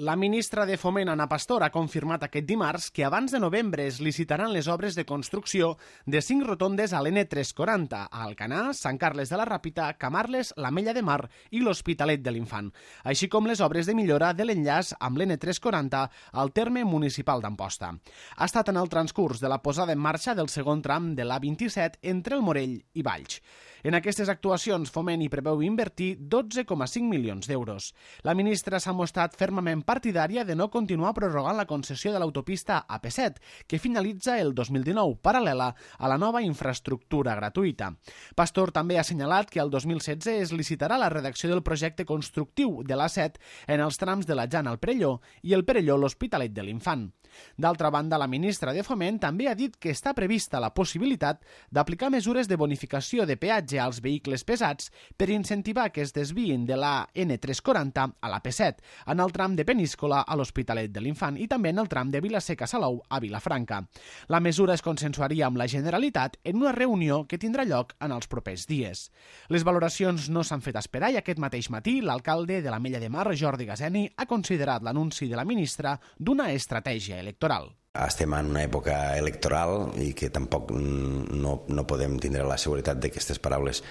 La ministra de Foment, Ana Pastor, ha confirmat aquest dimarts que abans de novembre es licitaran les obres de construcció de 5 rotondes a l'N340, a Alcanar, Sant Carles de la Ràpita, Camarles, l'Ametlla de Mar i l'Hospitalet de l'Infant, així com les obres de millora de l'enllaç amb l'N340 al terme municipal d'Amposta. Ha estat en el transcurs de la posada en marxa del segon tram de l'A27 entre el Morell i Valls. En aquestes actuacions, Foment hi preveu invertir 12,5 milions d'euros. La ministra s'ha mostrat fermament partidària de no continuar prorrogant la concessió de l'autopista AP7, que finalitza el 2019, paral·lela a la nova infraestructura gratuïta. Pastor també ha assenyalat que el 2016 es licitarà la redacció del projecte constructiu de l'A7 en els trams de la Jana al Perelló i el Perelló l'Hospitalet de l'Infant. D'altra banda, la ministra de Foment també ha dit que està prevista la possibilitat d'aplicar mesures de bonificació de peatge als vehicles pesats per incentivar que es desviïn de la N340 a la P7, en el tram de Peníscola a l'Hospitalet de l'Infant i també en el tram de Vilaseca-Salou a Vilafranca. La mesura es consensuaria amb la Generalitat en una reunió que tindrà lloc en els propers dies. Les valoracions no s'han fet esperar i aquest mateix matí l'alcalde de l'Ametlla de Mar, Jordi Gaseni, ha considerat l'anunci de la ministra d'una estratègia electoral. Estem en una època electoral i que tampoc no podem tindre la seguretat que aquestes paraules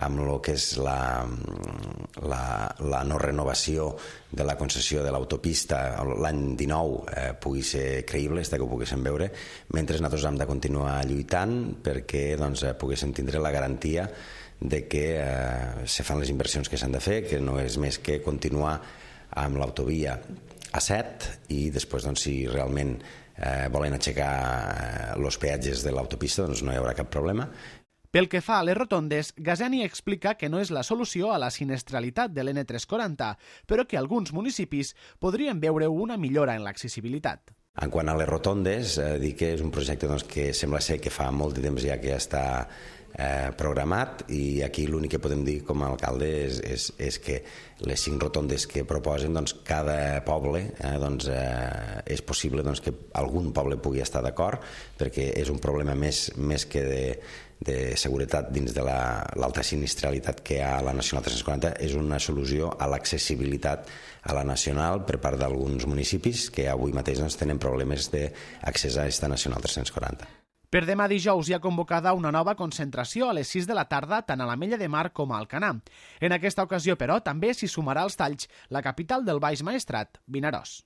amb el que és la no renovació de la concessió de l'autopista l'any 19 pugui ser creïble, que ho poguéssim veure, mentre nosaltres hem de continuar lluitant perquè poguéssim tindre la garantia de que se fan les inversions que s'han de fer, que no és més que continuar amb l'autovia A7 i després, si realment volen aixecar els peatges de l'autopista, no hi haurà cap problema. Pel que fa a les rotondes, Gaseni explica que no és la solució a la sinistralitat de l'N340, però que alguns municipis podrien veure una millora en l'accessibilitat. En quant a les rotondes, dic que és un projecte que sembla ser que fa molt de temps ja que està programat i aquí l'únic que podem dir com a alcalde és que les 5 rotondes que proposen, cada poble és possible que algun poble pugui estar d'acord perquè és un problema més que de seguretat dins de l'alta sinistralitat que hi ha a la Nacional 340, és una solució a l'accessibilitat a la Nacional per part d'alguns municipis que avui mateix tenen problemes d'accés a aquesta Nacional 340. Per demà dijous hi ha convocada una nova concentració a les 6 de la tarda tant a l'Ametlla de Mar com a Alcanar. En aquesta ocasió, però, també s'hi sumarà als talls la capital del Baix Maestrat, Vinaròs.